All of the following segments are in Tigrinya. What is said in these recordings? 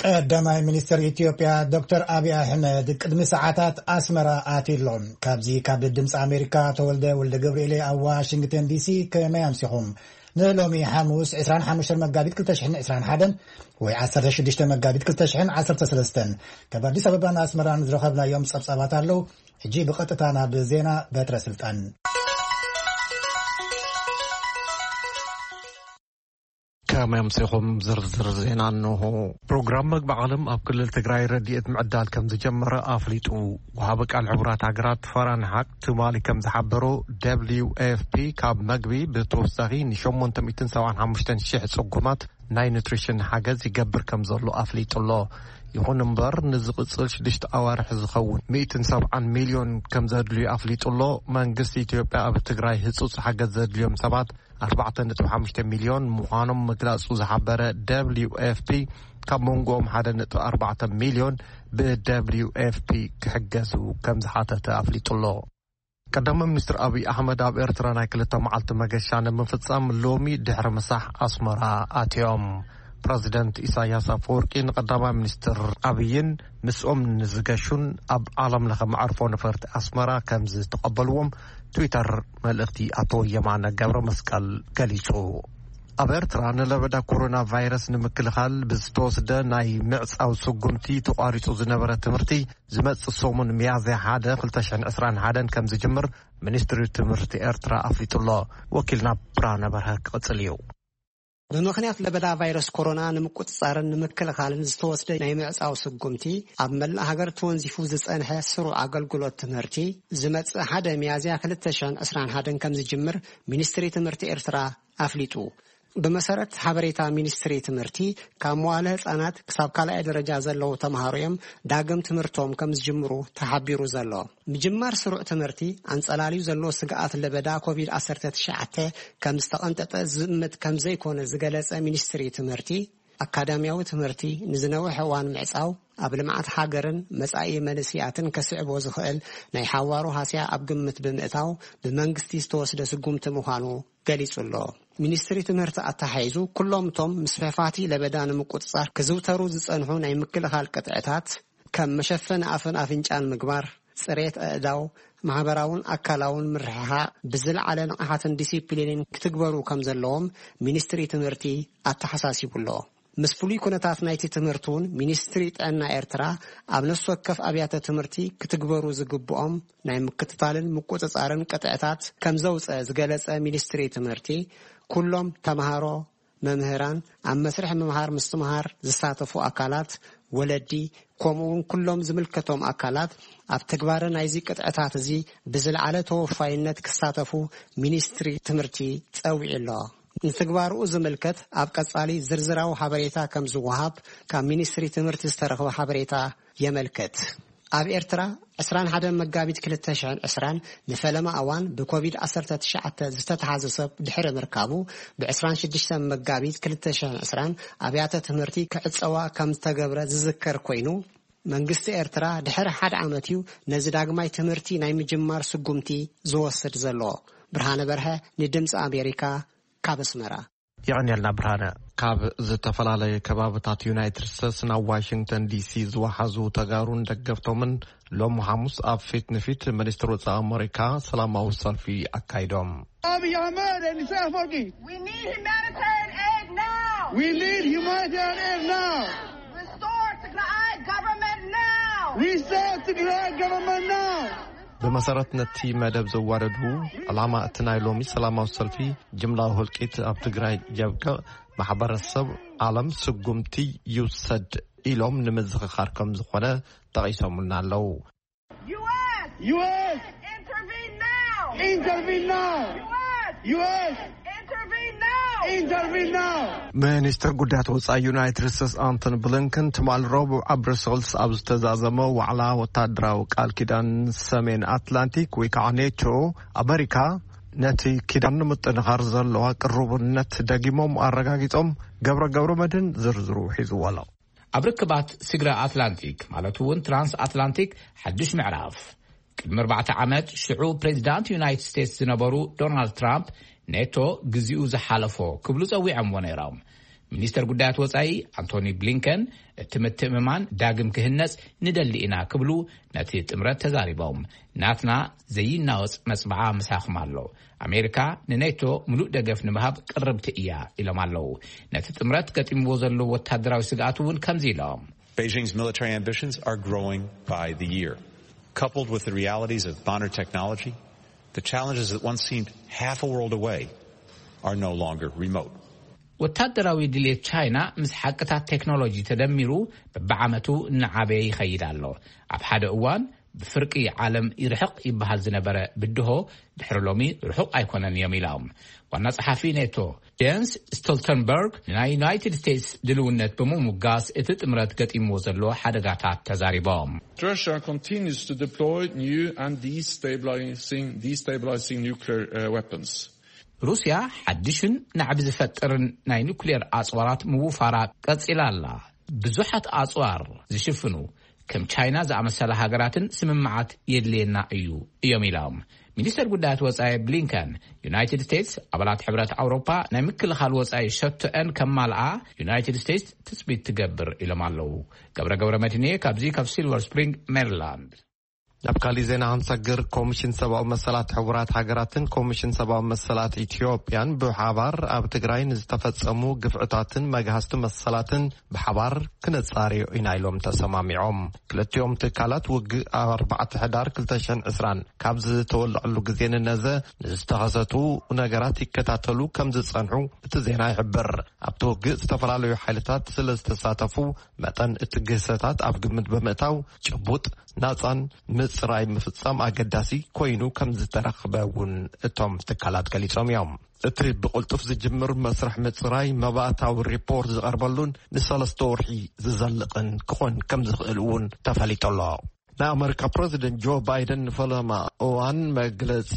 ቀዳማይ ሚኒስትር ኢትዮጵያ ዶክተር ኣብይ ኣሕመድ ቅድሚ ሰዓታት ኣስመራ ኣትዩ ኣሎ። ካብዚ ካብ ድምፂ ኣሜሪካ ተወልደ ወልደ ገብርኤል ኣብ ዋሽንግተን ዲሲ። ከመይ ኣምሲኹም? ንሎሚ ሓሙስ ዕስራን ሓሙሽተን መጋቢት ክልተ ሽሕን ዕስራን ሓደን ወይ ዓሰርተ ሽዱሽተ መጋቢት ክልተ ሽሕን ዓሰርተ ሰለስተን ካብ ኣዲስ ኣበባን ኣስመራን ዝረኸብናዮም ጸብጻባት ኣለዉ። ሕጂ ብቐጥታ ናብ ዜና። በትረ ስልጣን። ከመይ ኣምሲኹም? ዝርዝር ዜና እንሆ። ፕሮግራም መግቢ ዓለም ኣብ ክልል ትግራይ ረድኤት ምዕዳል ከም ዝጀመረ ኣፍሊጡ። ወሃቢ ቃል ሕቡራት ሃገራት ፋራን ሓቅ ትማሊ ከም ዝሓበሮ፣ ደብሊው ኤፍ ፒ ካብ መግቢ ብተወሳኺ ን ሸሞንተ ሚእትን ሰብዓን ሓሙሽተን ሽሕ ጽጉማት ናይ ኑትሪሽን ሓገዝ ይገብር ከም ዘሎ ኣፍሊጡ ኣሎ። ይኹን እምበር፣ ንዝቕጽል ሽዱሽተ ኣዋርሕ ዝኸውን ሚእትን ሰብዓን ሚልዮን ከም ዘድልዩ ኣፍሊጡ ኣሎ። መንግስቲ ኢትዮጵያ ኣብ ትግራይ ህጹጽ ሓገዝ ዘድልዮም ሰባት ኣርባዕተ ነጥቢ ሓሙሽተ ሚልዮን ምዃኖም ምግላጹ ዝሓበረ ደብሊው ኤፍ ፒ፣ ካብ መንጎኦም ሓደ ነጥቢ ኣርባዕተ ሚልዮን ብ ደብሊው ኤፍ ፒ ክሕገዙ ከም ዝሓተተ ኣፍሊጡ ኣሎ። ቀዳማይ ሚኒስትር ኣብይ ኣሕመድ ኣብ ኤርትራ ናይ ክልተ መዓልቲ መገሻ ንምፍጻም ሎሚ ድሕሪ ምሳሕ ኣስመራ ኣትዮም። ፕረዚደንት ኢሳያስ ኣፈወርቂ ንቀዳማይ ሚኒስትር ኣብይን ምስኦም ንዝገሹን ኣብ ዓለም ለኸ መዕርፎ ነፈርቲ ኣስመራ ከም ዝተቐበልዎም ትዊተር መልእኽቲ ኣቶ የማነ ገብረ መስቀል ገሊጹ። ኣብ ኤርትራ ንለበዳ ኮሮና ቫይረስ ንምክልኻል ብዝተወስደ ናይ ምዕጻው ስጉምቲ ተቋሪጹ ዝነበረ ትምህርቲ ዝመጽእ ሰሙን ሚያዝያ ሓደ ክልተ ሽሕን ዕስራን ሓደን ከም ዝጅምር ሚኒስትሪ ትምህርቲ ኤርትራ ኣፍሊጡ ኣሎ። ወኪልና ብርሃነ በርሀ ክቕጽል እዩ። ብምኽንያት ለበዳ ቫይረስ ኮሮና ንምቁጽጻርን ንምክልኻልን ዝተወስደ ናይ ምዕጻው ስጉምቲ፣ ኣብ መላእ ሃገር ተወንዚፉ ዝጸንሐ ስሩዕ ኣገልግሎት ትምህርቲ ዝመጽእ ሓደ ሚያዝያ ክልተ ሽሕን ዕስራን ሓደን ከም ዝጅምር ሚኒስትሪ ትምህርቲ ኤርትራ ኣፍሊጡ። ብመሰረት ሓበሬታ ሚኒስትሪ ትምህርቲ፣ ካብ መዋለ ህጻናት ክሳብ ካልኣይ ደረጃ ዘለዉ ተምሃሮ እዮም ዳግም ትምህርቶም ከም ዝጅምሩ ተሓቢሩ ዘሎ። ምጅማር ስሩዕ ትምህርቲ ኣንጸላልዩ ዘሎ ስግኣት ለበዳ ኮቪድ ዓሰርተ ትሽዓተ ከም ዝተቐንጠጠ ዝእምት ከም ዘይኮነ ዝገለጸ ሚኒስትሪ ትምህርቲ፣ ኣካዳሚያዊ ትምህርቲ ንዝነውሕ እዋን ምዕጻው ኣብ ልምዓት ሃገርን መጻኢ መንእስያትን ከስዕቦ ዝኽእል ናይ ሓዋሩ ሃስያ ኣብ ግምት ብምእታው ብመንግስቲ ዝተወስደ ስጉምቲ ምዃኑ ገሊጹ ኣሎ። ሚኒስትሪ ትምህርቲ ኣተሓሒዙ፣ ኩሎም እቶም ምስፍሕፋቲ ለበዳ ንምቁጽጻር ክዝውተሩ ዝጸንሑ ናይ ምክልኻል ቅጥዕታት፣ ከም መሸፈኒ ኣፍን ኣፍንጫን ምግባር፣ ጽሬት ኣእዳው፣ ማሕበራውን ኣካላውን ምርሕሓቕ፣ ብዝለዓለ ንቕሓትን ዲሲፕሊንን ክትግበሩ ከም ዘለዎም ሚኒስትሪ ትምህርቲ ኣተሓሳሲቡ ኣሎ። ምስ ፍሉይ ኩነታት ናይቲ ትምህርቲ እውን፣ ሚኒስትሪ ጥዕና ኤርትራ ኣብ ነፍሲ ወከፍ ኣብያተ ትምህርቲ ክትግበሩ ዝግብኦም ናይ ምክትታልን ምቁጽጻርን ቅጥዕታት ከም ዘውጸ ዝገለጸ ሚኒስትሪ ትምህርቲ፣ ኩሎም ተምሃሮ፣ መምህራን፣ ኣብ መስርሕ ምምሃር ምስትምሃር ዝሳተፉ ኣካላት፣ ወለዲ፣ ከምኡውን ኩሎም ዝምልከቶም ኣካላት ኣብ ትግባረ ናይዚ ቅጥዕታት እዚ ብዝለዓለ ተወፋይነት ክሳተፉ ሚኒስትሪ ትምህርቲ ጸዊዑ ኣሎ። ንትግባርኡ ዝምልከት ኣብ ቀጻሊ ዝርዝራዊ ሓበሬታ ከም ዝወሃብ ካብ ሚኒስትሪ ትምህርቲ ዝተረኽበ ሓበሬታ የመልክት። ኣብ ኤርትራ ዕስራን ሓደን መጋቢት ክልተ ሽሕን ዕስራን ንፈለማ እዋን ብኮቪድ ዓሰርተ ትሽዓተ ዝተተሓዘ ሰብ ድሕሪ ምርካቡ፣ ብ ዕስራን ሽዱሽተን መጋቢት ክልተ ሽሕን ዕስራን ኣብያተ ትምህርቲ ክዕጸዋ ከም ዝተገብረ ዝዝከር ኮይኑ፣ መንግስቲ ኤርትራ ድሕሪ ሓደ ዓመት እዩ ነዚ ዳግማይ ትምህርቲ ናይ ምጅማር ስጉምቲ ዝወስድ ዘሎ። ብርሃነ በርሀ ንድምፂ ኣሜሪካ ካብ ኣስመራ። የቐንየልና ብርሃነ። ካብ ዝተፈላለየ ከባብታት ዩናይትድ ስቴትስ ናብ ዋሽንግተን ዲሲ ዝወሓዙ ተጋሩን ደገፍቶምን ሎሚ ሓሙስ ኣብ ፊት ንፊት ሚኒስትር ወጻኢ ኣመሪካ ሰላማዊ ሰልፊ ኣካይዶም። Abiy Ahmed and Isaias Afwerki. We need humanitarian aid now. We need humanitarian aid now. Restore Tigray government now. Restore Tigray government now. ብመሰረት ነቲ መደብ ዘዋደዱ፣ ዕላማ እቲ ናይ ሎሚ ሰላማዊ ሰልፊ ጅምላዊ ህልቂት ኣብ ትግራይ የብቅዕ፣ ማሕበረሰብ ዓለም ስጉምቲ ይውሰድ ኢሎም ንምዝኽኻር ከም ዝኾነ ጠቒሶምልና ኣለዉ። U S! U S! Intervene now! Intervene now! U S! U S! Intervene now! Intervene now! ሚኒስትር ጉዳያት ወጻኢ ዩናይትድ ስቴትስ ኣንቶኒ ብሊንከን ትማሊ ረቡዕ ኣብ ብረሰልስ ኣብ ዝተዛዘመ ዋዕላ ወታደራዊ ቃል ኪዳን ሰሜን ኣትላንቲክ ወይ ከዓ ኔቶ፣ ኣመሪካ ነቲ ኪዳን ንምጥንኻር ዘለዋ ቅሩብነት ደጊሞም ኣረጋጊጾም። ገብረ ገብረ መድህን ዝርዝሩ ሒዝዎ ኣሎ። ኣብ ርክባት ስግረ ኣትላንቲክ፣ ማለት እውን ትራንስ ኣትላንቲክ፣ ሓድሽ ምዕራፍ። ቅድሚ ኣርባዕተ ዓመት፣ ሽዑ ፕሬዚዳንት ዩናይትድ ስቴትስ ዝነበሩ ዶናልድ ትራምፕ፣ ኔቶ ግዚኡ ዝሓለፎ ክብሉ ጸዊዖምዎ ነይሮም። ሚኒስተር ጉዳያት ወጻኢ ኣንቶኒ ብሊንከን፣ እቲ ምትእምማን ዳግም ክህነጽ ንደሊ ኢና ክብሉ ነቲ ጥምረት ተዛሪቦም። ናትና ዘይናወጽ መጽብዓ ምሳኹም ኣሎ። ኣሜሪካ ንኔቶ ምሉእ ደገፍ ንምሃብ ቅርብቲ እያ ኢሎም ኣለዉ። ነቲ ጥምረት ገጢምዎ ዘሎ ወታደራዊ ስግኣት እውን ከምዚ ኢሎም። Beijing's military ambitions are growing by the year. Coupled with the realities of modern technology, the challenges that once seemed half a world away are no longer remote. ወታደራዊ ድሌት ቻይና ምስ ሓቅታት ቴክኖሎጂ ተደሚሩ፣ በብዓመቱ እናዓበየ ይኸይድ ኣሎ። ኣብ ሓደ እዋን ብፍርቂ ዓለም ይርሕቕ ይበሃል ዝነበረ ብድሆ፣ ድሕሪ ሎሚ ርሑቕ ኣይኮነን እዮም ኢሎም ዋና ጸሓፊ ኔቶ ጀንስ ስቶልተንበርግ፣ ንናይ ዩናይትድ ስቴትስ ድልውነት ብምሙጋስ፣ እቲ ጥምረት ገጢምዎ ዘሎ ሓደጋታት ተዛሪቦም። Russia continues to deploy new and destabilizing, destabilizing nuclear uh, weapons. ሩስያ ሓድሽን ናዕቢ ዝፈጥርን ናይ ኑክሌር ኣጽዋራት ምውፋራ ቀጺላ ኣላ። ብዙሓት ኣጽዋር ዝሽፍኑ ከም ቻይና ዝኣመሰላ ሃገራትን ስምምዓት የድልየና እዩ እዮም ኢሎም። ሚኒስተር ጉዳያት ወጻኢ ብሊንከን፣ ዩናይትድ ስቴትስ ኣባላት ሕብረት ኣውሮፓ ናይ ምክልኻል ወጻኢ ሸቶአን ከማልኣ ዩናይትድ ስቴትስ ትጽቢት ትገብር ኢሎም ኣለዉ። ገብረ ገብረ መድህንየ ካብዚ ካብ ሲልቨር ስፕሪንግ ሜሪላንድ። ናብ ካሊእ ዜና ክንሰግር፣ ኮሚሽን ሰብኣዊ መሰላት ሕቡራት ሃገራትን ኮሚሽን ሰብኣዊ መሰላት ኢትዮጵያን ብሓባር ኣብ ትግራይ ንዝተፈጸሙ ግፍዕታትን መግሃስቲ መሰላትን ብሓባር ክነጻርዮ ኢና ኢሎም ተሰማሚዖም። ክልቲኦም ትካላት ውግእ ኣብ ኣርባዕተ ሕዳር ክልተ ሽሕን ዕስራን ካብ ዝተወልዐሉ ግዜ ንነዘ ንዝተኸሰቱ ነገራት ይከታተሉ ከም ዝጸንሑ እቲ ዜና ይሕብር። ኣብቲ ውግእ ዝተፈላለዩ ሓይልታት ስለ ዝተሳተፉ መጠን እቲ ግህሰታት ኣብ ግምት ብምእታው ጭቡጥ ናጻን ምጽራይ ምፍጻም ኣገዳሲ ኮይኑ ከም ዝተረኽበ እውን እቶም ትካላት ገሊጾም እዮም። እቲ ብቕልጡፍ ዝጅምር መስርሕ ምጽራይ መባእታዊ ሪፖርት ዝቐርበሉን ንሰለስተ ወርሒ ዝዘልቕን ክኾን ከም ዝኽእል እውን ተፈሊጡ ኣሎ። ናይ ኣመሪካ ፕረዚደንት ጆ ባይደን ንፈለማ እዋን መግለጺ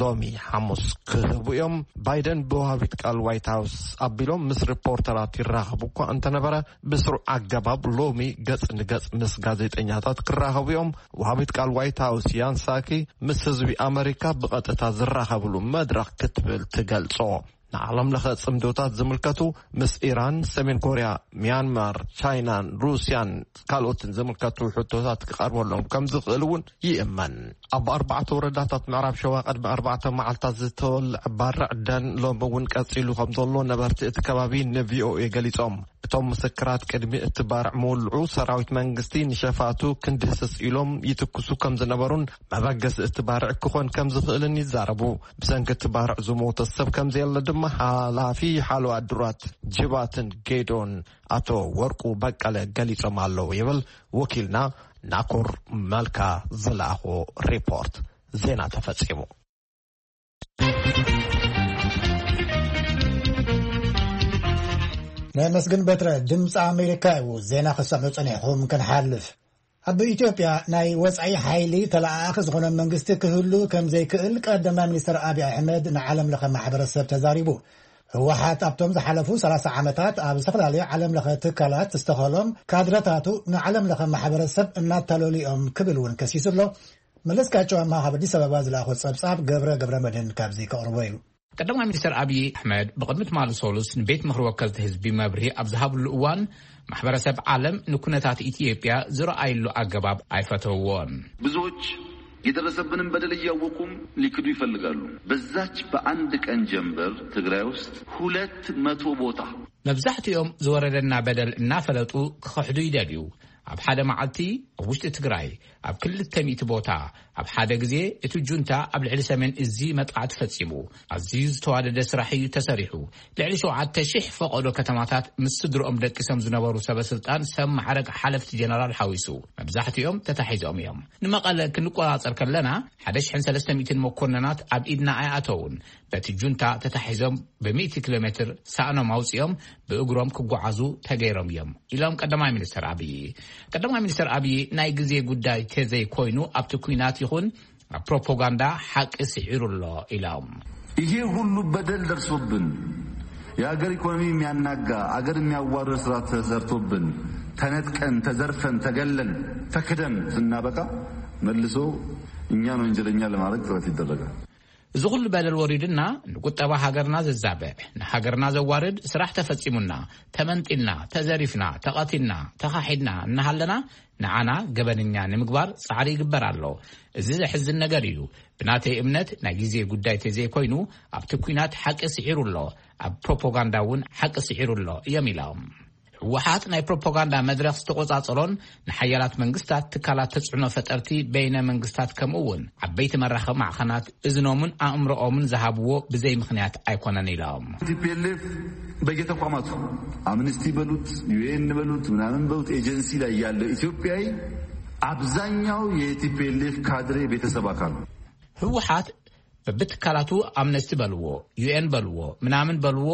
ሎሚ ሓሙስ ክህቡ እዮም። ባይደን ብወሃቢት ቃል ዋይት ሃውስ ኣቢሎም ምስ ሪፖርተራት ይራኸቡ እኳ እንተነበረ፣ ብስሩዕ ኣገባብ ሎሚ ገጽ ንገጽ ምስ ጋዜጠኛታት ክራኸቡ እዮም። ወሃቢት ቃል ዋይት ሃውስ ያን ሳኪ ምስ ህዝቢ ኣመሪካ ብቐጥታ ዝራኸብሉ መድረኽ ክትብል ትገልጾ። ንዓለም ለኸ ጽምዶታት ዝምልከቱ ምስ ኢራን፣ ሰሜን ኮርያ፣ ሚያንማር፣ ቻይናን ሩስያን ካልኦትን ዝምልከቱ ሕቶታት ክቐርበሎም ከም ዝኽእል እውን ይእመን። ኣብ ኣርባዕተ ወረዳታት ምዕራብ ሸዋ ቅድሚ ኣርባዕተ መዓልታት ዝተወልዐ ባርዕ ደን ሎሚ እውን ቀጺሉ ከም ዘሎ ነበርቲ እቲ ከባቢ ንቪኦኤ ገሊጾም። እቶም ምስክራት ቅድሚ እቲ ባርዕ ምውልዑ ሰራዊት መንግስቲ ንሸፋቱ ክንድህስስ ኢሎም ይትኩሱ ከም ዝነበሩን መበገሲ እቲ ባርዕ ክኾን ከም ዝኽእልን ይዛረቡ። ብሰንኪ እቲ ባርዕ ዝሞተ ሰብ ከም ዘየለ ድማ ሓላፊ ሓለዋ ድራት ጅባትን ጌዶን ኣቶ ወርቁ በቀለ ገሊጾም ኣለዉ ይብል ወኪልና ናኮር መልካ ዝለኣኾ ሪፖርት። ዜና ተፈጺሙ። ነመስግን በትረ ድምፂ ኣሜሪካ እዩ። ዜና ክሰምዑ ጸኒሕኹም ክንሓልፍ። ኣብ ኢትዮጵያ ናይ ወጻኢ ሓይሊ ተለኣኣኺ ዝኾነ መንግስቲ ክህሉ ከም ዘይክእል ቀዳማይ ሚኒስትር ኣብይ ኣሕመድ ንዓለም ለኸ ማሕበረሰብ ተዛሪቡ። ህወሓት ኣብቶም ዝሓለፉ ሰላሳ ዓመታት ኣብ ዝተፈላለዩ ዓለም ለኸ ትካላት ዝተኸሎም ካድረታቱ ንዓለም ለኸ ማሕበረሰብ እናታለሉ እዮም ክብል እውን ከሲሱ ኣሎ። መለስካቸው ኣምሃ ካብ ኣዲስ ኣበባ ዝለኣኾ ጸብጻብ ገብረ ገብረ መድህን ካብዚ ከቕርቦ እዩ። ቀዳማይ ሚኒስትር ኣብይ ኣሕመድ ብቕድሚ ትማሊ ሰሉስ ንቤት ምኽሪ ወከልቲ ህዝቢ መብርሂ ኣብ ዝሃብሉ እዋን፣ ማሕበረሰብ ዓለም ንኩነታት ኢትዮጵያ ዝረኣይሉ ኣገባብ ኣይፈተውዎን። ብዙዎች የደረሰብንን በደል እያወቁም ሊክዱ ይፈልጋሉ። በዛች በአንድ ቀን ጀንበር ትግራይ ውስጥ ሁለት መቶ ቦታ መብዛሕትኦም ዝወረደና በደል እናፈለጡ ክኸሕዱ ይደልዩ። ኣብ ሓደ መዓልቲ ኣብ ውሽጢ ትግራይ ኣብ ክልተ ሚእቲ ቦታ ኣብ ሓደ ግዜ እቲ ጁንታ ኣብ ልዕሊ ሰሜን እዚ መጥቃዕቲ ፈጺሙ። ኣዝዩ ዝተዋደደ ስራሕ እዩ ተሰሪሑ። ልዕሊ ሸውዓተ ሺሕ ፈቐዶ ከተማታት ምስ ስድርኦም ደቂሶም ዝነበሩ ሰበ ስልጣን ሰብ ማዕረግ ሓለፍቲ ጀነራል ሓዊሱ መብዛሕትኦም ተታሒዞም እዮም። ንመቐለ ክንቆጻጸር ከለና ሓደ ሽሕን ሰለስተ ሚእትን መኮንናት ኣብ ኢድና ኣይኣተውን። በቲ ጁንታ ተታሒዞም ብሚእቲ ኪሎ ሜትር ሳእኖም ኣውጺኦም ብእግሮም ክጓዓዙ ተገይሮም እዮም ኢሎም ቀዳማይ ሚኒስትር ኣብይ። ቀዳማይ ሚኒስትር ኣብይ ናይ ግዜ ጉዳይ ተዘይኮይኑ ኣብቲ ኲናት ይኹን ኣብ ፕሮፓጋንዳ ሓቂ ስዒሩ ኣሎ ኢሎም። ይሄ ሁሉ በደል ደርሶብን የሀገር ኢኮኖሚ የሚያናጋ አገር የሚያዋርድ ስራ ተሰርቶብን ተነጥቀን ተዘርፈን ተገለን ተክደን ስናበቃ መልሶ እኛን ወንጀለኛ ለማድረግ ጥረት ይደረጋል። እዚ ኩሉ በደል ወሪድና ንቁጠባ ሃገርና ዘዛብዕ፣ ንሃገርና ዘዋርድ ስራሕ ተፈጺሙና፣ ተመንጢልና፣ ተዘሪፍና፣ ተቐቲልና፣ ተኻሒድና እናሃለና ንዓና ገበነኛ ንምግባር ጻዕሪ ይግበር ኣሎ። እዚ ዘሕዝን ነገር እዩ። ብናተይ እምነት ናይ ግዜ ጉዳይ ተዘይኮይኑ ኣብቲ ኲናት ሓቂ ስዒሩ ኣሎ፣ ኣብ ፕሮፓጋንዳ እውን ሓቂ ስዒሩ ኣሎ እዮም ኢሎም። ህወሓት ናይ ፕሮፓጋንዳ መድረኽ ዝተቆጻጸሮን ንሓያላት መንግስታት፣ ትካላት ተጽዕኖ ፈጠርቲ፣ በይነ መንግስታት ከምኡ እውን ዓበይቲ መራኸቢ ማዕኸናት እዝኖምን ኣእምሮኦምን ዝሃብዎ ብዘይ ምኽንያት ኣይኮነን ኢሎም። ቲፒኤልኤፍ በየተቋማቱ፣ አምነስቲ በሉት፣ ዩኤን በሉት፣ ምናምን በሉት፣ ኤጀንሲ ላይ ያለው ኢትዮጵያዊ አብዛኛው የቲፒኤልኤፍ ካድሬ ቤተሰብ አካል ነው። ህወሓት በብትካላቱ፣ ኣምነስቲ በልዎ፣ ዩኤን በልዎ፣ ምናምን በልዎ፣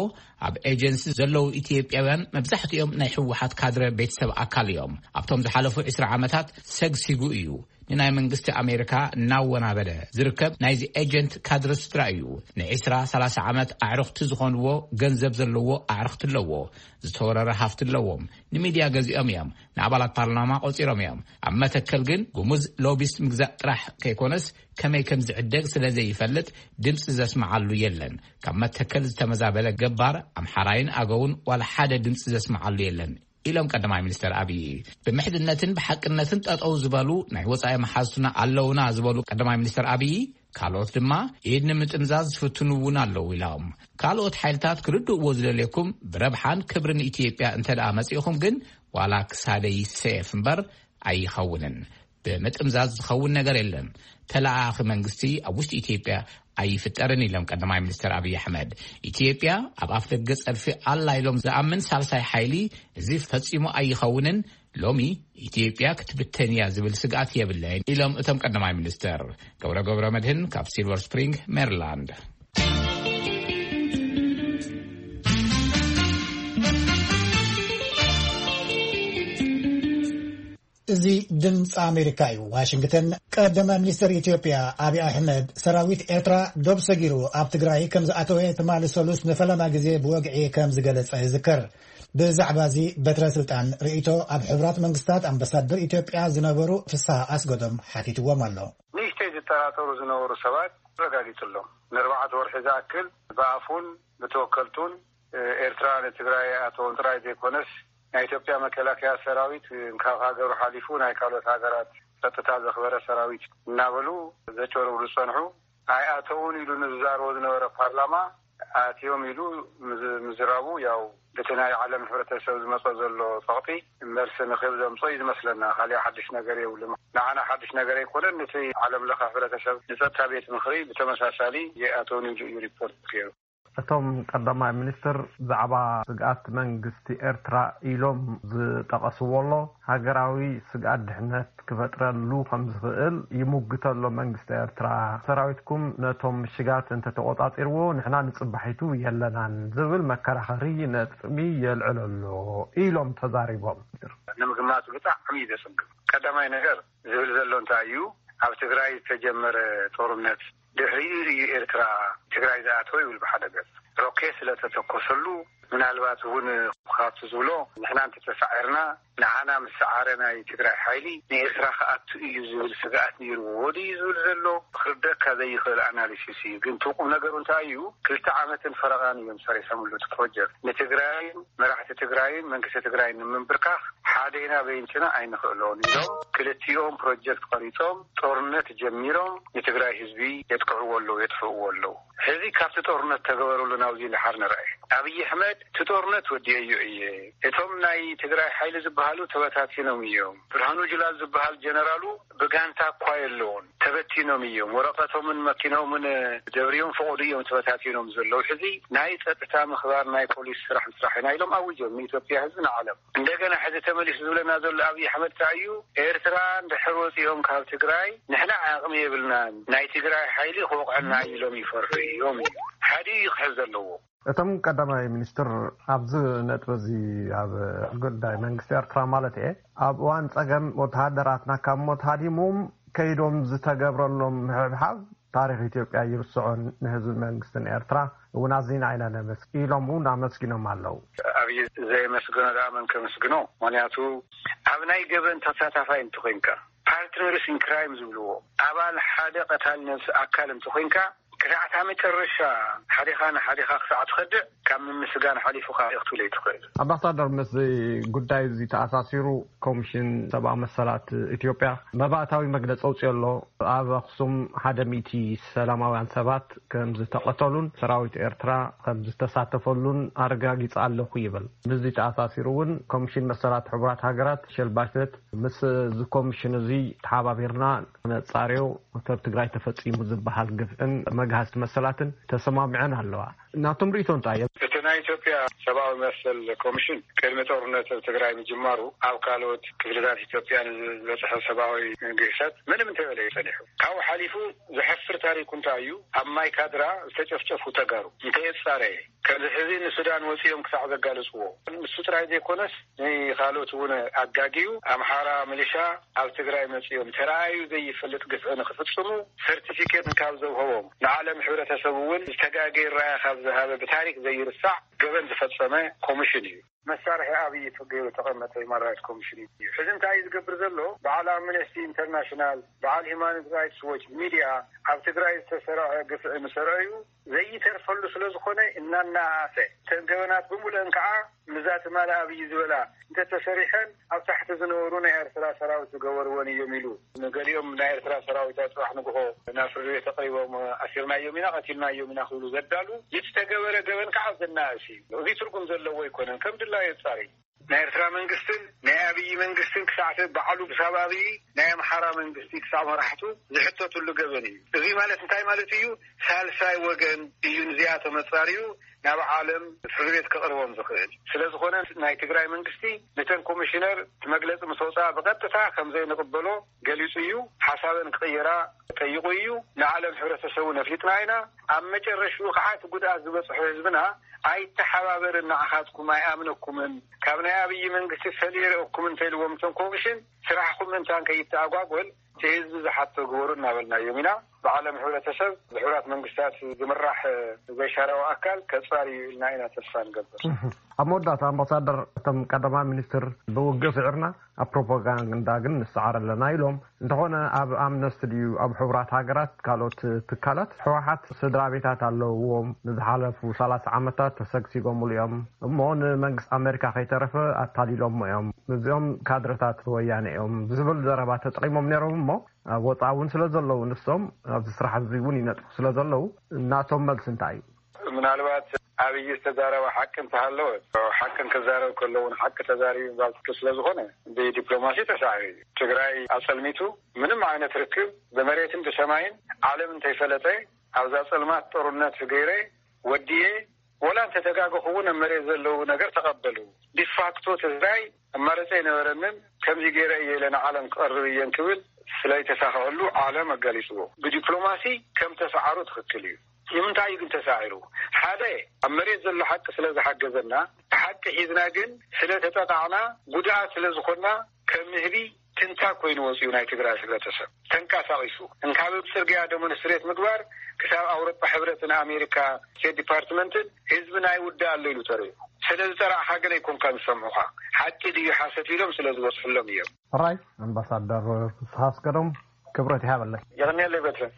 ኣብ ኤጀንሲ ዘለዉ ኢትዮጵያውያን መብዛሕትኦም ናይ ህወሓት ካድረ ቤተሰብ ኣካል እዮም። ኣብቶም ዝሓለፉ ዕስራ ዓመታት ሰግሲጉ እዩ ንናይ መንግስቲ ኣሜሪካ እናወናበደ ዝርከብ ናይዚ ኤጀንት ካድረ ስድራ እዩ። ንዕስራ ሰላሳ ዓመት ኣዕርኽቲ ዝኾንዎ ገንዘብ ዘለዎ ኣዕርኽቲ ኣለዎ። ዝተወረረ ሃፍቲ ኣለዎም። ንሚድያ ገዚኦም እዮም። ንኣባላት ፓርላማ ቆጺሮም እዮም። ኣብ መተከል ግን ጉሙዝ ሎቢስት ምግዛእ ጥራሕ ከይኮነስ ከመይ ከም ዝዕደግ ስለ ዘይፈልጥ ድምፂ ዘስምዓሉ የለን። ካብ መተከል ዝተመዛበለ ገባር ኣምሓራይን ኣገውን ዋላ ሓደ ድምፂ ዘስምዓሉ የለን ኢሎም ቀዳማይ ሚኒስትር ኣብይ። ብምሕዝነትን ብሓቅነትን ጠጠው ዝበሉ ናይ ወፃኢ መሓዝቱና ኣለውና ዝበሉ ቀዳማይ ሚኒስትር ኣብይ፣ ካልኦት ድማ ኢድ ንምጥምዛዝ ዝፍትኑ እውን ኣለዉ ኢሎም። ካልኦት ሓይልታት ክርድእዎ ዝደልየኩም ብረብሓን ክብርን ኢትዮጵያ እንተ ደኣ መፂእኹም ግን ዋላ ክሳደይ ይሰየፍ እምበር ኣይኸውንን። ብምጥምዛዝ ዝኸውን ነገር የለን። ተለኣኣኺ መንግስቲ ኣብ ውሽጢ ኢትዮጵያ ኣይፍጠርን ኢሎም ቀዳማይ ሚኒስትር ኣብይ ኣሕመድ። ኢትዮጵያ ኣብ ኣፍ ደገ ጸድፊ ኣላ ኢሎም ዝኣምን ሳልሳይ ሓይሊ እዚ ፈጺሙ ኣይኸውንን። ሎሚ ኢትዮጵያ ክትብተን እያ ዝብል ስግኣት የብለይን ኢሎም እቶም ቀዳማይ ሚኒስትር። ገብረ ገብረ መድህን ካብ ሲልቨር ስፕሪንግ ሜሪላንድ። እዚ ድምፂ ኣሜሪካ እዩ። ዋሽንግተን። ቀዳማይ ሚኒስትር ኢትዮጵያ ኣብይ ኣሕመድ ሰራዊት ኤርትራ ዶብ ሰጊሩ ኣብ ትግራይ ከም ዝኣተወ ትማሊ ሰሉስ ንፈለማ ግዜ ብወግዒ ከም ዝገለጸ ይዝከር። ብዛዕባ እዚ በትረ ስልጣን ርእይቶ ኣብ ሕቡራት መንግስታት ኣምባሳደር ኢትዮጵያ ዝነበሩ ፍስሃ ኣስገዶም ሓቲትዎም ኣሎ። ንእሽተይ ዝጠራጠሩ ዝነበሩ ሰባት ተረጋጊጹሎም። ንኣርባዕተ ወርሒ ዝኣክል ብኣፉን ብተወከልቱን ኤርትራ ንትግራይ ኣተዎም ጥራይ ዘይኮነስ ናይ ኢትዮጵያ መከላከያ ሰራዊት ካብ ሃገሩ ሓሊፉ ናይ ካልኦት ሃገራት ጸጥታ ዘኽበረ ሰራዊት እናበሉ ዘጭበርብሩ ዝጸንሑ ኣይኣተውን ኢሉ ንዝዛረቦ ዝነበረ ፓርላማ ኣትዮም ኢሉ ምዝ- ምዝራቡ ያው እቲ ናይ ዓለም ሕብረተሰብ ዝመጾ ዘሎ ጸቕጢ መልሲ ንክብ ዘምጾ እዩ ዝመስለና። ካሊእ ሓድሽ ነገር የብሉን። ንዓና ሓድሽ ነገር ኣይኮነን። ነቲ ዓለም ለኸ ሕብረተሰብ ንጸጥታ ቤት ምኽሪ ብተመሳሳሊ የኣተውን ኢሉ እዩ ሪፖርት ገይሩ። እቶም ቀዳማይ ሚኒስትር ብዛዕባ ስግኣት መንግስቲ ኤርትራ ኢሎም ዝጠቐስዎ ኣሎ፣ ሃገራዊ ስግኣት ድሕነት ክፈጥረሉ ከም ዝኽእል ይሙግት ኣሎ መንግስቲ ኤርትራ። ሰራዊትኩም ነቶም ምሽጋት እንተተቖጻጺርዎ ንሕና ንጽባሒቱ የለናን ዝብል መከራኸሪ ነጥቢ የልዕል ኣሎ ኢሎም ተዛሪቦም። ንምግማቱ ብጣዕሚ እዩ ዘጸግም። ቀዳማይ ነገር ዝብል ዘሎ እንታይ እዩ? ኣብ ትግራይ ዝተጀመረ ጦርነት ድሕሪኡ እዩ ኤርትራ ትግራይ ዝኣተወ ይብል ብሓደ ገጽ። ሮኬት ስለተተኮሰሉ ምናልባት እውን ካብቲ ዝብሎ ንሕና እንተተሳዒርና ንዓና ምስ ሰዓረ ናይ ትግራይ ሓይሊ ንኤርትራ ክኣቱ እዩ ዝብል ስግኣት ነይርዎ ድዩ ዝብል ዘሎ ክርደካ ዘይኽእል ኣናሊሲስ እዩ። ግን እቲ ቁም ነገሩ እንታይ እዩ? ክልተ ዓመትን ፈረቓን እዮም ሰሪሖምሉ እቲ ፕሮጀክት። ንትግራይን መራሕቲ ትግራይን መንግስቲ ትግራይን ንምንብርካኽ ሓደ ኢና በይንትና ኣይንኽእሎን ኢሎም ክልቲኦም ፕሮጀክት ቀሪጾም ጦርነት ጀሚሮም ንትግራይ ህዝቢ የጥቅዕዎ ኣለዉ፣ የጥፍእዎ ኣለዉ። ሕዚ ካብቲ ጦርነት ተገበረሉ ናብዚ ንሓር ንርአ። ኣብይ ኣሕመድ እቲ ጦርነት ወዲአዮ እየ፣ እቶም ናይ ትግራይ ሓይሊ ዝበሃሉ ተበታቲኖም እዮም፣ ብርሃኑ ጁላ ዝበሃል ጀነራሉ ብጋንታ እኳ የለውን፣ ተበቲኖም እዮም፣ ወረቐቶምን መኪኖምን ደብርዮም ፈቐዱ እዮም ተበታቲኖም ዘለዉ። ሕዚ ናይ ጸጥታ ምኽባር ናይ ፖሊስ ስራሕ ምስራሕ ኢና ኢሎም ኣዊጆም ንኢትዮጵያ ህዝቢ ንዓለም። እንደገና ሕዚ ተመሊሱ ዝብለና ዘሎ ኣብይ ኣሕመድ እንታይ እዩ? ኤርትራ እንድሕር ወፂኦም ካብ ትግራይ ንሕና ዓቕሚ የብልናን፣ ናይ ትግራይ ሓይሊ ክወቕዐና እዩ ኢሎም ይፈርሑ እዮም እዩ ሓደ እዩ ክሕዝ ዘለዎ። እቶም ቀዳማይ ሚኒስትር ኣብዚ ነጥቢ እዚ ኣብ ጉዳይ መንግስቲ ኤርትራ ማለት እየ ኣብ እዋን ጸገም ወተሃደራትና ካብ ሞት ሃዲሞም ከይዶም ዝተገብረሎም ምሕብሓብ ታሪኽ ኢትዮጵያ ይርስዖን ንህዝቢ መንግስትን ኤርትራ እውን ኣዚና ኢና ነመስግን ኢሎም እውን ኣመስጊኖም ኣለዉ። ኣብይ ዘየመስግኖ ደኣ መን ከመስግኖ? ምክንያቱ ኣብ ናይ ገበን ተሳታፋይ እንተኮይንካ ፓርትነርስ ኢን ክራይም ዝብልዎ ኣባል ሓደ ቀታሊ ነብሲ ኣካል እንተኮይንካ ክሳዕ እታ መጨረሻ ሓዲኻ ንሓዲኻ ክሳዕ ትኸድዕ ካብ ምምስጋን ሓሊፉ ካብ ክትብል ኣይትኽእል። ኣምባሳደር፣ ምስ ጉዳይ እዚ ተኣሳሲሩ ኮሚሽን ሰብኣዊ መሰላት ኢትዮጵያ መባእታዊ መግለፂ ኣውፅኦ ኣሎ። ኣብ ኣኽሱም ሓደ ሚእቲ ሰላማውያን ሰባት ከም ዝተቐተሉን ሰራዊት ኤርትራ ከም ዝተሳተፈሉን ኣረጋጊፀ ኣለኹ ይብል። ምስዚ ተኣሳሲሩ እውን ኮሚሽን መሰላት ሕቡራት ሃገራት ሸልባሸት ምስ እዚ ኮሚሽን እዚ ተሓባቢርና ነጻርዮ፣ ኣብ ትግራይ ተፈጺሙ ዝበሃል ግፍዕን መግሃስቲ መሰላትን ተሰማሚዐን ኣለዋ። ናቶም ርእይቶ እንታይ እዮም? እቲ ናይ ኢትዮጵያ ሰብኣዊ መሰል ኮሚሽን ቅድሚ ጦርነት ኣብ ትግራይ ምጅማሩ ኣብ ካልኦት ክፍልታት ኢትዮጵያ ንዝበፅሐ ሰብኣዊ ግህሰት ምንም እንተበለ እዩ ጸኒሑ። ካብኡ ሓሊፉ ዘሕፍር ታሪኩ እንታይ እዩ? ኣብ ማይ ካድራ ዝተጨፍጨፉ ተጋሩ እንተየጻረየ ከምዚ ሕዚ ንሱዳን ወጺኦም ክሳዕ ዘጋለጽዎ፣ ንሱ ጥራይ ዘይኮነስ ንኻልኦት እውን ኣጋግዩ ኣምሓራ ሚሊሻ ኣብ ትግራይ መጺኦም ተራእዩ ዘይፈልጥ ግፍዒ ንክፍጽሙ ሰርቲፊኬት ካብ ዘውሃቦም ንዓለም ሕብረተሰብ እውን ዝተጋገየ ራያ ካብ ዝሃበ ብታሪክ ዘይርሳዕ ገበን ዝፈጸመ ኮሚሽን እዩ። መሳርሒ ኣብይ ገይሩ ተቐመጠ ሂውማን ራይትስ ኮሚሽን እዩ። ሕዚ እንታይ እዩ ዝገብር ዘሎ? በዓል ኣምነስቲ ኢንተርናሽናል፣ በዓል ሂውማን ራይትስ ዎች፣ ሚድያ ኣብ ትግራይ ዝተሰርዐ ግፍዒ ምስ ረኣዩ ዘይተርፈሉ ስለ ዝኾነ እናናኣሰ እተን ገበናት ብምሉአን ከዓ ምዛ ትማሊ ኣብይ ዝበላ እንተተሰሪሐን ኣብ ታሕቲ ዝነበሩ ናይ ኤርትራ ሰራዊት ዝገበርወን እዮም ኢሉ። ንገሊኦም ናይ ኤርትራ ሰራዊት ኣብ ጽባሕ ንግሆ ናብ ፍርዲ ቤት ኣቕሪቦም ኣሲርናዮም ኢና፣ ቀቲልናዮም ኢና ክብሉ ዘዳሉ፣ እቲ ተገበረ ገበን ከዓ ዘናእስ እዩ። እዚ ትርጉም ዘለዎ ኣይኮነን። ከም ድላዩ የጻሪ ናይ ኤርትራ መንግስትን ናይ ኣብይ መንግስትን ክሳዕቲ ባዕሉ ክሳብ ኣብይ ናይ ኣምሓራ መንግስቲ ክሳብ መራሕቱ ዝሕተቱሉ ገበን እዩ። እዚ ማለት እንታይ ማለት እዩ? ሳልሳይ ወገን እዩ ንዚኣቶም ኣጻርዩ ናብ ዓለም ፍርዲ ቤት ከቕርቦም ዝኽእል። ስለ ዝኾነ ናይ ትግራይ መንግስቲ ነተን ኮሚሽነር እቲ መግለጺ ምስ ወፅኣ ብቐጥታ ከም ዘይንቕበሎ ገሊጹ እዩ። ሓሳበን ክቕይራ ጠይቑ እዩ። ንዓለም ሕብረተሰቡ ነፊጥና ኢና። ኣብ መጨረሽኡ ከዓ እቲ ጉድኣት ዝበፅሖ ህዝብና ኣይተሓባበርን፣ ንዓኻትኩም ኣይኣምነኩምን፣ ካብ ናይ ኣብይ መንግስቲ ፈሊረኩም እንተኢልዎም እቶም ኮሚሽን ስራሕኩም ምእንታን ከይተኣጓጎል እቲ ህዝቢ ዝሓቶ ግበሩ እናበልናዮም ኢና። ብዓለም ሕብረተሰብ ብሕቡራት መንግስታት ዝምራሕ ዘይሻራዊ ኣካል ከጻሪ እዩ ኢልና ኢና ተስፋ ንገብር። ኣብ መወዳእታ ኣምባሳደር፣ እቶም ቀዳማይ ሚኒስትር ብውግእ ስዒርና ኣብ ፕሮፓጋንዳ ግን ንሰዓር ኣለና ኢሎም። እንተኾነ ኣብ ኣምነስቲ ድዩ ኣብ ሕቡራት ሃገራት ካልኦት ትካላት ህወሓት ስድራ ቤታት ኣለውዎም፣ ንዝሓለፉ ሰላሳ ዓመታት ተሰግሲጎምሉ እዮም እሞ ንመንግስቲ ኣሜሪካ ከይተረፈ ኣታሊሎሞ እዮም፣ እዚኦም ካድረታት ወያነ እዮም ዝብል ዘረባ ተጠቂሞም ነይሮም እሞ ኣብ ወፃኢ እውን ስለ ዘለዉ ንሶም ኣብዚ ስራሕ እዚ እውን ይነጥፉ ስለ ዘለዉ ናቶም መልሲ እንታይ እዩ? ምናልባት ኣብይ ዝተዛረበ ሓቂ እንተሃለወ ሓቅን ክዛረብ ከለውን ሓቂ ተዛሪቡ ምባል ትክክል ስለ ዝኾነ ብዲፕሎማሲ ተሳዒሩ እዩ። ትግራይ ኣፀልሚቱ ምንም ዓይነት ርክብ ብመሬትን ብሰማይን ዓለም እንተይፈለጠ ኣብዛ ፀልማት ጦርነት ገይረ ወዲየ ወላ እንተተጋገኹ እውን ኣብ መሬት ዘለዉ ነገር ተቐበሉ። ዲፋክቶ ትግራይ ኣማረፀ ኣይነበረንን። ከምዚ ገይረ እየ ኢለ ንዓለም ክቐርብ እየን ክብል ስለይተሳኽዐሉ ዓለም ኣጋሊፅዎ። ብዲፕሎማሲ ከም ተሰዓሩ ትኽክል እዩ። ንምንታይ እዩ ግን ተሳዒሩ? ሓደ ኣብ መሬት ዘሎ ሓቂ ስለ ዝሓገዘና ብሓቂ ሒዝና ግን ስለ ተጠቃዕና ጉድኣት ስለ ዝኾንና ከም ንህቢ ትንታ ኮይኑ ወፂኡ ናይ ትግራይ ሕብረተሰብ ተንቀሳቒሱ እንካብ ኣብ ፅርግያ ደሞንስትሬት ምግባር ክሳብ ኣውሮጳ ሕብረትን ኣሜሪካ ስቴት ዲፓርትመንትን ህዝቢ ናይ ውዳ ኣሎ ኢሉ ተሪፉ። ስለ ዝጠራዕኻ ግን ኣይኮንካ ዝሰምዑኻ ሓቂ ድዩ ሓሰት ኢሎም ስለ ዝወፅሑሎም እዮም። ሕራይ ኣምባሳደር ፍስሓ ኣስገዶም ክብረት ይሃበለይ። የቐንየለይ በትረ።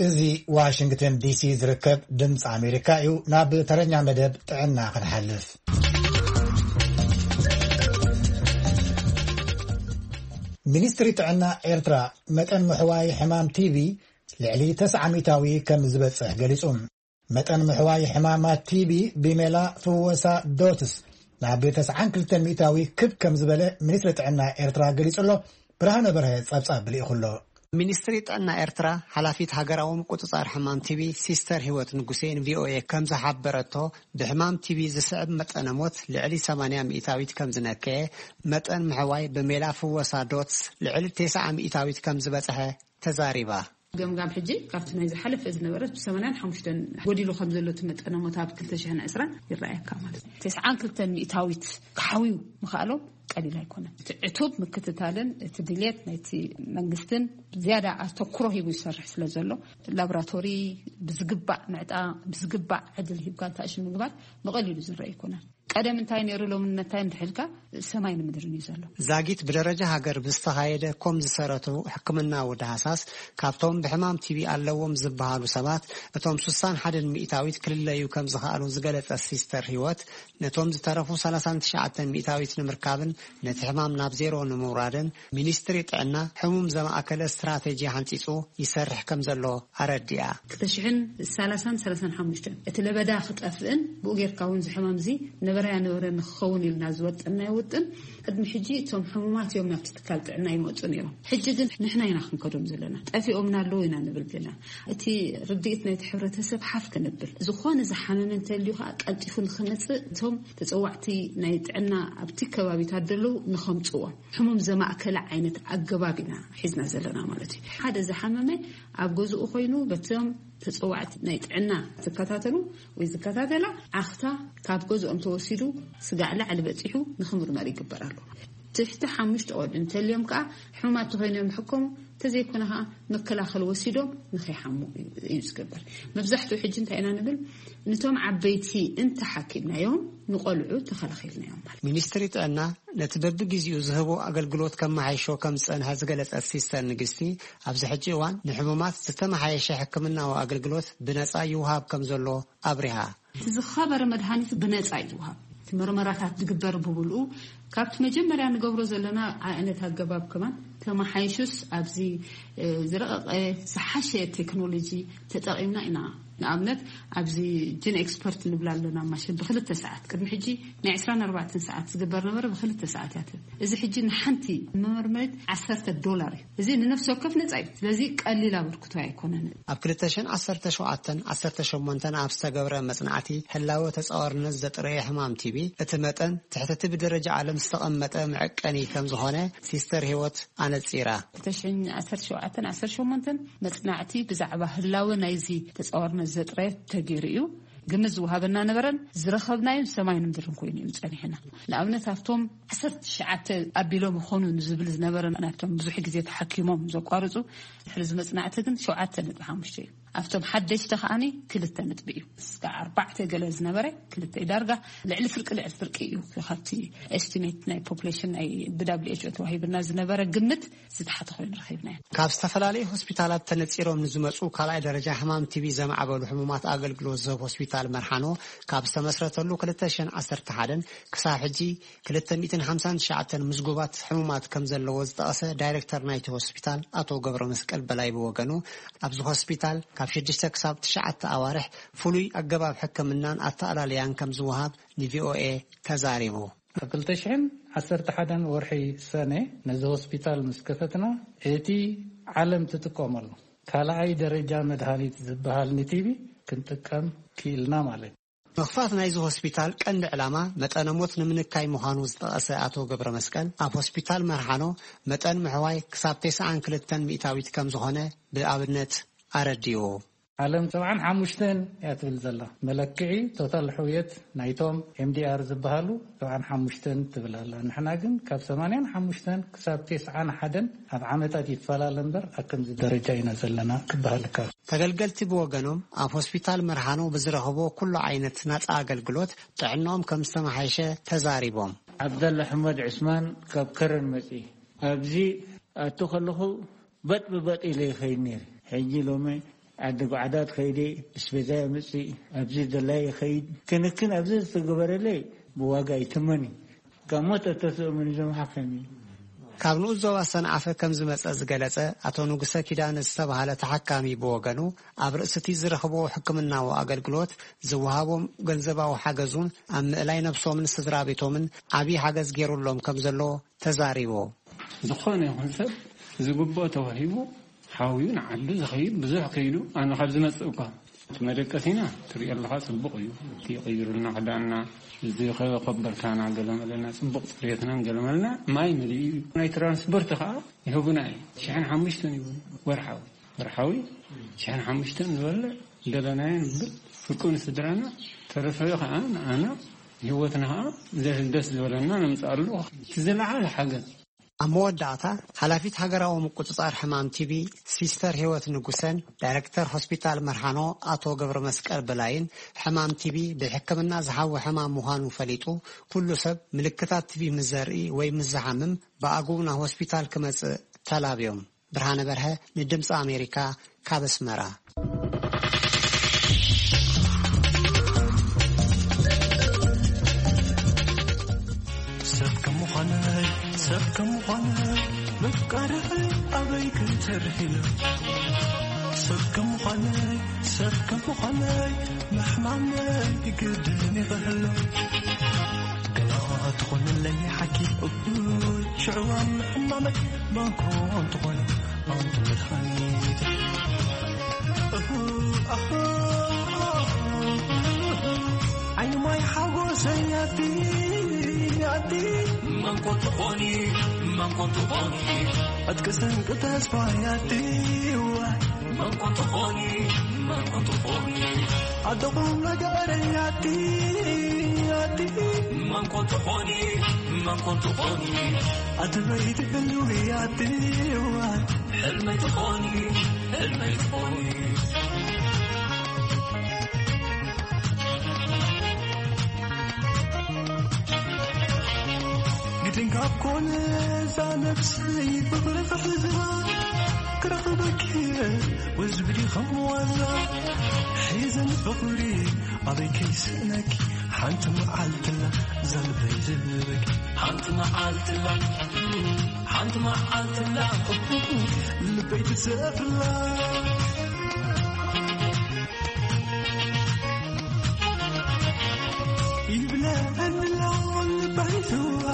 እዚ ዋሽንግተን ዲሲ ዝርከብ ድምፂ ኣሜሪካ እዩ። ናብ ተረኛ መደብ ጥዕና ክንሓልፍ። ሚኒስትሪ ጥዕና ኤርትራ መጠን ምሕዋይ ሕማም ቲቪ ልዕሊ ተስዓ ሚእታዊ ከም ዝበፅሕ ገሊፁ። መጠን ምሕዋይ ሕማማት ቲቢ ብሜላ ፍወሳ ዶትስ ናብ ተስዓን ክልተን ሚእታዊ ክብ ከም ዝበለ ሚኒስትሪ ጥዕና ኤርትራ ገሊጹ ኣሎ። ብርሃነ በርሀ ጸብጻብ ልኢኹ ኣሎ። ሚኒስትሪ ጥዕና ኤርትራ ሓላፊት ሃገራዊ ምቁጽጻር ሕማም ቲቢ ሲስተር ህይወት ንጉሴ ንቪኦኤ ከም ዝሓበረቶ ብሕማም ቲቢ ዝስዕብ መጠነ ሞት ልዕሊ ሰማንያ ሚእታዊት ከም ዝነከየ መጠን ምሕዋይ ብሜላ ፍወሳ ዶትስ ልዕሊ ተስዓ ሚእታዊት ከም ዝበጽሐ ተዛሪባ። ገምጋም ሕጂ ካብቲ ናይ ዝሓለፈ ዝነበረ ብሰማንያን ሓሙሽተን ጎዲሉ ከም ዘሎ እቲ መጠነ ሞት ኣብ ክልተ ሽሕን ዕስራን ይረኣየካ ማለት እዩ። ተስዓን ክልተን ሚእታዊት ክሓውዩ ምኽኣሎም ቀሊል ኣይኮነን። እቲ ዕቱብ ምክትታልን እቲ ድልየት ናይቲ መንግስትን ዝያዳ ኣተኩሮ ሂቡ ይሰርሕ ስለ ዘሎ ላቦራቶሪ ብዝግባእ ምዕጣ ብዝግባእ ዕድል ሂብካ ንታእሽን ምግባር ብቐሊሉ ዝረአ ኣይኮነን። ቀደም እንታይ ነይሩ፣ ሎሚ እንታይ እንድሕልካ ሰማይ ንምድርን እዩ ዘሎ። ዛጊት ብደረጃ ሃገር ብዝተኻየደ ኮም ዝሰረቱ ሕክምናዊ ዳህሳስ፣ ካብቶም ብሕማም ቲቢ ኣለዎም ዝበሃሉ ሰባት እቶም ስሳን ሓደን ሚእታዊት ክልለዩ ከም ዝኸኣሉ ዝገለጸ ሲስተር ህይወት፣ ነቶም ዝተረፉ ሰላሳን ትሽዓተን ሚእታዊት ንምርካብን ነቲ ሕማም ናብ ዜሮ ንምውራድን ሚኒስትሪ ጥዕና ሕሙም ዘማእከለ ስትራቴጂ ሓንጺጹ ይሰርሕ ከም ዘሎ ኣረዲኣ። ክልተ ሽሕን ሰላሳን ሰላሳን ሓሙሽተን እቲ ለበዳ ክጠፍእን ብኡ ጌርካ እውን ዝሕማም እዚ ነበረያ ነበረ ንክኸውን ኢልና ዝወጠናዮ ውጥን፣ ቅድሚ ሕጂ እቶም ሕሙማት እዮም ናብቲ ትካል ጥዕና ይመፁ ነይሮም። ሕጂ ግን ንሕና ኢና ክንከዶም ዘለና። ጠፊኦምና ኣለዉ ኢና ንብል ዘለና። እቲ ርድኢት ናይቲ ሕብረተሰብ ሓፍ ክንብል፣ ዝኾነ ዝሓመመ እንተልዩ ከዓ ቀልጢፉ ንክመፅእ እቶም ተፀዋዕቲ ናይ ጥዕና ኣብቲ ከባቢታት ዘለዉ ንኸምፅዎም፣ ሕሙም ዘማእከለ ዓይነት ኣገባብ ኢና ሒዝና ዘለና ማለት እዩ። ሓደ ዝሓመመ ኣብ ገዝኡ ኮይኑ በቶም ተፀዋዕቲ ናይ ጥዕና ዝከታተሉ ወይ ዝከታተላ ዓኽታ ካብ ገዝኦም ተወሲዱ ስጋዕ ላዕሊ በፂሑ ንክምርመር ይግበር ኣሎ። ትሕቲ ሓሙሽተ ቆልዑ እንተልዮም ከዓ ሕሙማት ተኮይኖም ይሕከሙ፣ እንተዘይኮነ ከዓ መከላኸሊ ወሲዶም ንከይሓሙ እዩ ዝግበር። መብዛሕትኡ ሕጂ እንታይ ኢና ንብል፣ ንቶም ዓበይቲ እንተሓኪምናዮም ንቆልዑ ተኸላኺልናዮም ማለት። ሚኒስትሪ ጥዕና ነቲ በብግዜኡ ዝህቦ ኣገልግሎት ከመሓይሾ ከም ዝጸንሐ ዝገለጸት ሲስተር ንግስቲ፣ ኣብዚ ሕጂ እዋን ንሕሙማት ዝተመሓየሸ ሕክምናዊ ኣገልግሎት ብነጻ ይውሃብ ከም ዘሎ ኣብሪሃ። እቲ ዝኸበረ መድሃኒት ብነጻ እዩ ዝውሃብ። እቲ መርመራታት ዝግበር ብብልኡ ካብቲ መጀመርያ ንገብሮ ዘለና ዓይነት ኣገባብ ከማን ተመሓይሹስ ኣብዚ ዝረቐቐ ዝሓሸ ቴክኖሎጂ ተጠቒምና ኢና። ንኣብነት ኣብዚ ጅን ኤክስፐርት ንብላ ኣለና ማሽን ብክልተ ሰዓት፣ ቅድሚ ሕጂ ናይ ዕስራን ኣርባዕተን ሰዓት ዝግበር ነበረ፣ ብክልተ ሰዓት እያ ትህብ። እዚ ሕጂ ንሓንቲ መመርመሪት ዓሰርተ ዶላር እዩ። እዚ ንነፍሲ ወከፍ ነጻ እዩ። ስለዚ ቀሊል ኣበርክቶ ኣይኮነን። ኣብ ክልተ ሽሕን ዓሰርተ ሸውዓተን ዓሰርተ ሸሞንተን ኣብ ዝተገብረ መጽናዕቲ ህላወ ተጻዋርነት ዘጥረየ ሕማም ቲቢ እቲ መጠን ትሕቲ እቲ ብደረጃ ዓለም ዝተቐመጠ መዐቀኒ ከም ዝኾነ ሲስተር ህይወት ኣነጺራ። ክልተ ሽሕን ዓሰርተ ሸውዓተን ዓሰርተ ሸሞንተን መጽናዕቲ ብዛዕባ ህላወ ናይዚ ተጻዋርነት ዘጥረየ ተገይሩ እዩ። ግምት ዝወሃበና ነበረን ዝረኸብናዮን ሰማይን ምድርን ኮይኑ እዩ ጸኒሕና። ንኣብነት ኣብቶም ዓሰርተ ትሽዓተ ኣቢሎም ይኾኑ ንዝብል ዝነበረ ናብቶም ብዙሕ ግዜ ተሓኪሞም ዘቋርጹ ድሕሪ እዚ መጽናዕቲ ግን ሸውዓተ ነጥቢ ሓሙሽተ እዩ። ኣብቶም ሓደሽቲ ከዓኒ ክልተ ነጥቢ እዩ። እስከ ኣርባዕተ ገለ ዝነበረ ክልተ እዩ። ዳርጋ ልዕሊ ፍርቂ ልዕሊ ፍርቂ እዩ። ካብቲ ኤስቲሜት ናይ ፖፕሌሽን ናይ ብዳብሊው ኤች ኦ ተዋሂብና ዝነበረ ግምት ዝተሓተ ኮይኑ ረኺብናዮ። ካብ ዝተፈላለዩ ሆስፒታላት ተነጺሮም ንዝመጹ ካልኣይ ደረጃ ሕማም ቲቢ ዘማዕበሉ ሕሙማት ኣገልግሎት ዝህብ ሆስፒታል መርሓኖ ካብ ዝተመስረተሉ ክልተ ሽሕን ዓሰርተ ሓደን ክሳብ ሕጂ ክልተ ሚእትን ሓምሳን ትሽዓተን ምዝጉባት ሕሙማት ከም ዘለዎ ዝጠቐሰ ዳይሬክተር ናይቲ ሆስፒታል ኣቶ ገብረ መስቀል በላይ ብወገኑ፣ ኣብዚ ሆስፒታል ካብ ሽዱሽተ ክሳብ ትሽዓተ ኣዋርሕ ፍሉይ ኣገባብ ሕክምናን ኣተኣላልያን ከም ዝወሃብ ንቪኦኤ ተዛሪቡ። ኣብ ክልተ ሽሕን ዓሰርተ ሓደን ወርሒ ሰነ ነዚ ሆስፒታል ምስ ከፈትና፣ እቲ ዓለም ትጥቀመሉ ካልኣይ ደረጃ መድሃኒት ዝበሃል ንቲቢ ክንጥቀም ክኢልና ማለት እዩ። ምኽፋት ናይዚ ሆስፒታል ቀንዲ ዕላማ መጠነ ሞት ንምንካይ ምዃኑ ዝጠቐሰ ኣቶ ገብረ መስቀል፣ ኣብ ሆስፒታል መርሓኖ መጠን ምሕዋይ ክሳብ ተስዓን ክልተን ሚእታዊት ከም ዝኾነ ብኣብነት ኣረዲኡ። ዓለም ሰብዓን ሓሙሽተን እያ ትብል ዘላ። መለክዒ ቶታል ሕውየት ናይቶም ኤምዲኣር ዝበሃሉ ሰብዓን ሓሙሽተን ትብል ኣላ። ንሕና ግን ካብ ሰማንያን ሓሙሽተን ክሳብ ተስዓን ሓደን ኣብ ዓመታት ይፈላለ እምበር ኣብ ከምዚ ደረጃ ኢና ዘለና ክበሃል ይከኣል። ተገልገልቲ ብወገኖም ኣብ ሆስፒታል መርሃኖ ብዝረኽቦ ኩሉ ዓይነት ናጻ ኣገልግሎት ጥዕናኦም ከም ዝተመሓየሸ ተዛሪቦም። ዓብደላ ኣሕመድ ዕስማን ካብ ከረን መጺ ኣብዚ ኣቱ ከለኹ በጥ ብበጥ ኢለ ይኸይድ ነይረ። ሕጂ ሎሚ ዓዲ ጓዕዳት ከይደ፣ እስቤዛ የምጽእ፣ ኣብዚ ደላይ ይኸይድ። ክንክን ኣብዚ ዝተገበረለይ ብዋጋ ይትመን እዩ። ካብ ሞት እተስእሙን እዞም ሓካይም እዩ። ካብ ንኡስ ዞባ ሰንዓፈ ከም ዝመጸ ዝገለጸ ኣቶ ንጉሰ ኪዳነ ዝተባህለ ተሓካሚ ብወገኑ፣ ኣብ ርእስቲ ዝረኽብዎ ሕክምናዊ ኣገልግሎት ዝወሃቦም ገንዘባዊ ሓገዙን ኣብ ምእላይ ነብሶምን ስድራ ቤቶምን ዓብዪ ሓገዝ ገይሩሎም ከም ዘሎ ተዛሪቡ። ዝኾነ ይኹን ሰብ ዝግብኦ ተዋሂቡ ሓውዩ ንዓዱ ዝኸይድ ብዙሕ ከይዱ ኣነ ካብ ዝመጽእ እኳ እቲ መደቀሲና ትሪኦ ኣለኻ ጽቡቕ እዩ። እቲ ይቕይሩልና ክዳንና፣ እዚ ከ-፣ ኮበርታና ገለመለና፣ ጽቡቕ ጽሬትናን ገለመለና ማይ መሊኡ እዩ። ናይ ትራንስፖርት ከኣ ይህቡና እዩ። ሽሕን ሓሙሽተን ይህቡና ወርሓዊ። ወርሓዊ ሽሕን ሓሙሽተን ንበልዕ፣ ደለናዮ ንብል፣ ፍርቁ ንስድራና፣ ተረፈ ከኣ ንኣና፣ ንህይወትና ከኣ ደስ ዝበለና ነምጽኣሉ። እቲ ዝለዓለ ሓገዝ ኣብ መወዳእታ፣ ሓላፊት ሃገራዊ ምቁጽጻር ሕማም ቲቢ ሲስተር ህይወት ንጉሰን ዳይረክተር ሆስፒታል መርሃኖ ኣቶ ገብረ መስቀል በላይን፣ ሕማም ቲቢ ብሕክምና ዝሓዊ ሕማም ምዃኑ ፈሊጡ፣ ኩሉ ሰብ ምልክታት ቲቢ ምስ ዘርኢ ወይ ምስ ዝሓምም ብኣግኡ ናብ ሆስፒታል ክመጽእ ተላብዮም። ብርሃነ በርሀ ንድምፂ ኣሜሪካ ካብ ኣስመራ። ሰብ ከም ምዃነይ፣ ሰብ ከም ምዃነይ፣ ምፍቃርኺ ኣበይ ክትርሒ ኢሉ። ሰብ ከም ምዃነይ፣ ሰብ ከም ምዃነይ፣ ምሕማመይ ይግድን ይኽህሎ። ገና ትኾንለይ ሓኪም እኩል ሽዕዋ ምሕማመይ፣ መን ኮን ትኾን ኣንቲ መድሃኒት። እሁ፣ ኣሁ፣ ዓይኒ ማይ ሓጎሰይ ኣቲ፣ ኣቲ። መን ኮን ትኾኒ፣ መን ኮን ትኾኒ። ዕጥቂ ስንቂ ተስፋይ ኣቲ፣ ዋይ። መን ኮን ትኾኒ፣ መን ኮን ትኾኒ። ኣደ ቁም ነገረይ ኣቲ፣ ኣቲ። መን ኮን ትኾኒ፣ መን ኮን ትኾኒ። ኣቲ በይቲ ህልዊ ኣቲ፣ ዋይ። ሕልመይ ትኾኒ፣ ሕልመይ ትኾኒ። ግድን ካብ ኮነ እዛ ነብሰይ ፍቕሪ ክሕዛ፣ ክረኽበኪ ወዝብዲ ከም ዋዛ። ሒዘን ፍቕሪ ኣበይ ከይስእነኪ፣ ሓንቲ መዓልትላ እዛ ልበይ ዝብለኪ። ሓንቲ መዓልትላ፣ ሓንቲ መዓልትላ ልበይ ትሰፍላ። ይብለኒ ኣሎ ልበይ ስዋ፣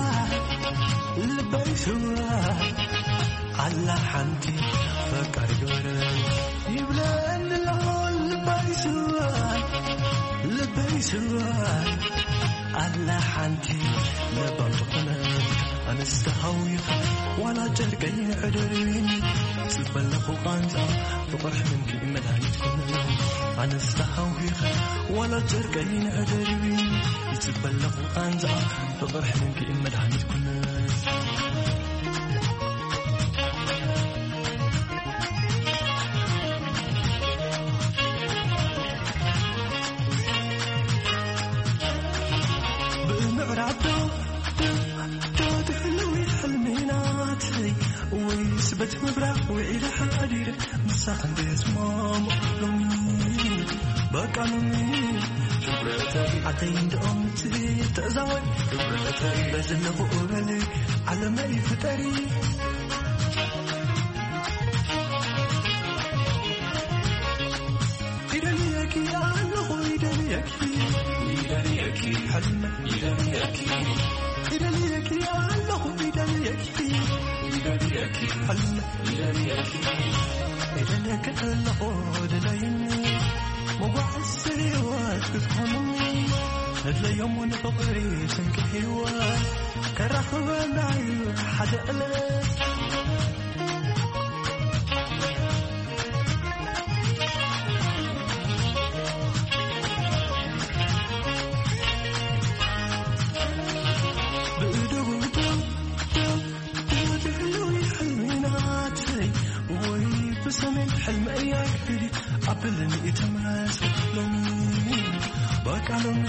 ልበይ ስዋ፣ ኣላ ሓንቲ ፈቃር ግበረ። ይብለኒ ኣሎ ልበይ ስዋ፣ ልበይ ስዋ፣ ኣላ ሓንቲ ለባም ዝኾነ። ኣነስ ተሃዊኸ ዋላ ጨርቀይ ንዕደርብኒ፣ ጽበለኹ ቃንዛ ፍቕር ሕልምኪ መድሃኒት ኩነ። ኣነስ ተሃዊኸ ዋላ ጨርቀይ ንዕደርብኒ፣ ይጽበለኹ ቃንዛ ፍቕር ሕልምኪ መድሃኒት ኩነ። ብምዕራብ ዶ፣ ዶ፣ ዶ ትሕልዊ ሕልሚ ናተይ፣ ወይስ በቲ ምብራቕ ውዒለ ሓዲረ ምሳኺ እንደየስማሙ ሎሚ፣ በቃ ሎሚ። ክብረተይ ዓደይ እንደኦም ትእዛወይ፣ ክብረተይ በዝለኹ እበሊ ዓለመይ ፍጠሪ። ይደልየኪ ኣለኹ፣ ይደልየኪ፣ ይደልየኪ፣ ሕልመ፣ ይደልየኪ፣ ይደልየኪ ኣለኹ፣ ይደልየኪ፣ ይደልየኪ፣ ሕልመ፣ ይደልየኪ፣ ይደልየኪ ኣለኹ፣ ድለይኒ፣ መጓዓዚ ህይወት ክትኮንኒ፣ ንድለዮም ንፍቕሪ ስንቂ ህይወት፣ ከራኽበና እዩ ሓደ ዕለት። ብእደጉ ደው፣ ደው፣ ደው ትሕልዊ ሕልሚ ናተይ፣ ወይ ብሰሜን ሕልሚ እያ ክፍሊት ኣብልኒ ተመስ ሎሚ፣ በቃ ሎሚ።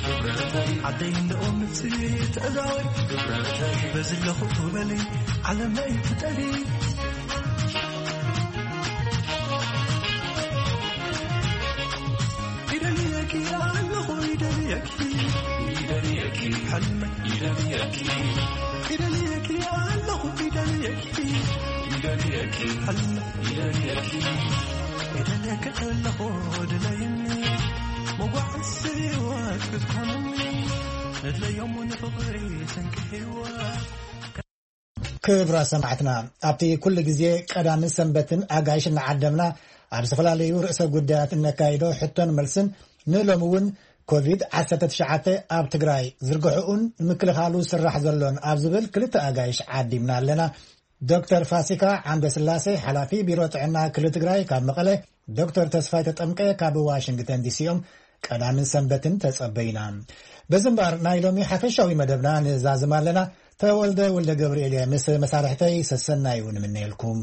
ክብረተይ ዓደይ እንደኦም ምጽኢት እዛወይ፣ ክብረተይ በዝለኹ በሊ ዓለመይ ፍጠሪ። ይደልየኪ ኣለኹ፣ ይደልየኪ፣ ይደልየኪ፣ ሕልመ፣ ይደልየኪ፣ ይደልየኪ ኣለኹ፣ ይደልየኪ፣ ይደልየኪ፣ ሕልመ፣ ይደልየኪ፣ ይደልየኪ ኣለኹ፣ ድለይኒ፣ መጓዓዚ ህይወት ክትኮንኒ፣ ንድለዮም ንፍቕሪ ስንቂ ህይወት። ክቡራት ሰማዕትና፣ ኣብቲ ኩሉ ግዜ ቀዳምን ሰንበትን ኣጋይሽ እናዓደምና ኣብ ዝተፈላለዩ ርእሰ ጉዳያት እነካይዶ ሕቶን መልስን፣ ንሎሚ እውን ኮቪድ ዓሰርተ ትሽዓተ ኣብ ትግራይ ዝርግሕኡን ንምክልኻሉ ዝስራሕ ዘሎን ኣብ ዝብል ክልተ ኣጋይሽ ዓዲምና ኣለና። ዶክተር ፋሲካ ዓምደ ስላሴ፣ ሓላፊ ቢሮ ጥዕና ክልል ትግራይ ካብ መቐለ፣ ዶክተር ተስፋይ ተጠምቀ ካብ ዋሽንግተን ዲሲ እዮም። ቀዳምን ሰንበትን ተጸበዩና። በዚ እምበኣር ናይ ሎሚ ሓፈሻዊ መደብና ንዛዝም ኣለና። ተወልደ ወልደ ገብርኤል እየ ምስ መሳርሕተይ ሰሰናዩ ንምነየልኩም።